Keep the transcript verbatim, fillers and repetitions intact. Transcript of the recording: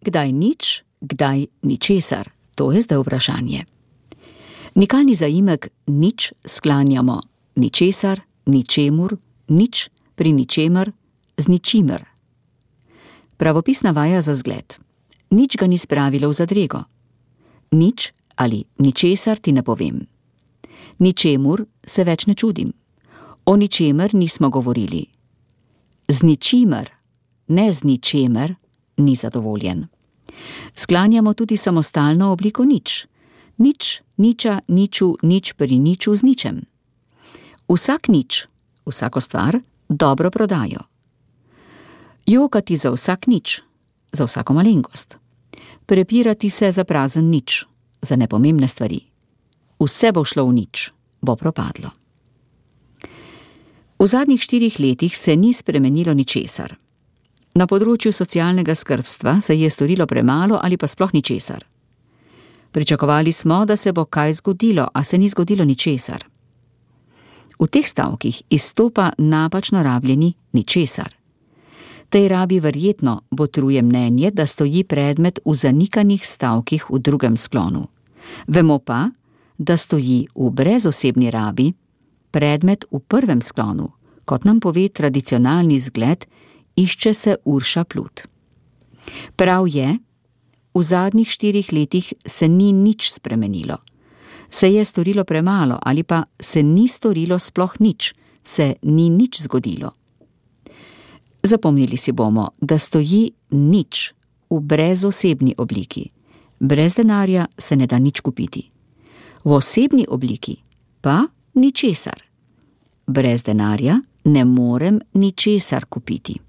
kdaj nič, kdaj ničesar? To je zdaj vprašanje. Nikalni zaimek nič sklanjamo ničesar, ničemur, nič pri ničemer, z ničimer. Pravopisna vaja za zgled. Nič ga ni spravilo v zadrego. Nič ali ničesar ti ne povem. Ničemur se več ne čudim. O ničemer nismo govorili. Z ničimer, ne z ničemer, ni zadovoljen. Sklanjamo tudi samostalno obliko nič. Nič, niča, niču, nič pri niču z ničem. Vsak nič, vsako stvar, dobro prodajo. Jokati za vsak nič, za vsako malenkost. Prepirati se za prazen nič, za nepomembne stvari. Vse bo šlo v nič, bo propadlo. V zadnjih štirih letih se ni spremenilo ničesar. Na področju socialnega skrbstva se je storilo premalo ali pa sploh ničesar. Pričakovali smo, da se bo kaj zgodilo, a se ni zgodilo ničesar. V teh stavkih izstopa napačno rabljeni ničesar. Tej rabi verjetno botruje mnenje, da stoji predmet v zanikanih stavkih v drugem sklonu. Vemo pa, da stoji v brezosebni rabi predmet v prvem sklonu, kot nam pove tradicionalni zgled, išče se Urša Plut. Prav je, v zadnjih štirih letih se ni nič spremenilo. Se je storilo premalo ali pa se ni storilo sploh nič, se ni nič zgodilo. Zapomnili si bomo, da stoji nič v brezosebni obliki. Brez denarja se ne da nič kupiti. V osebni obliki pa ničesar. Brez denarja ne morem ničesar kupiti.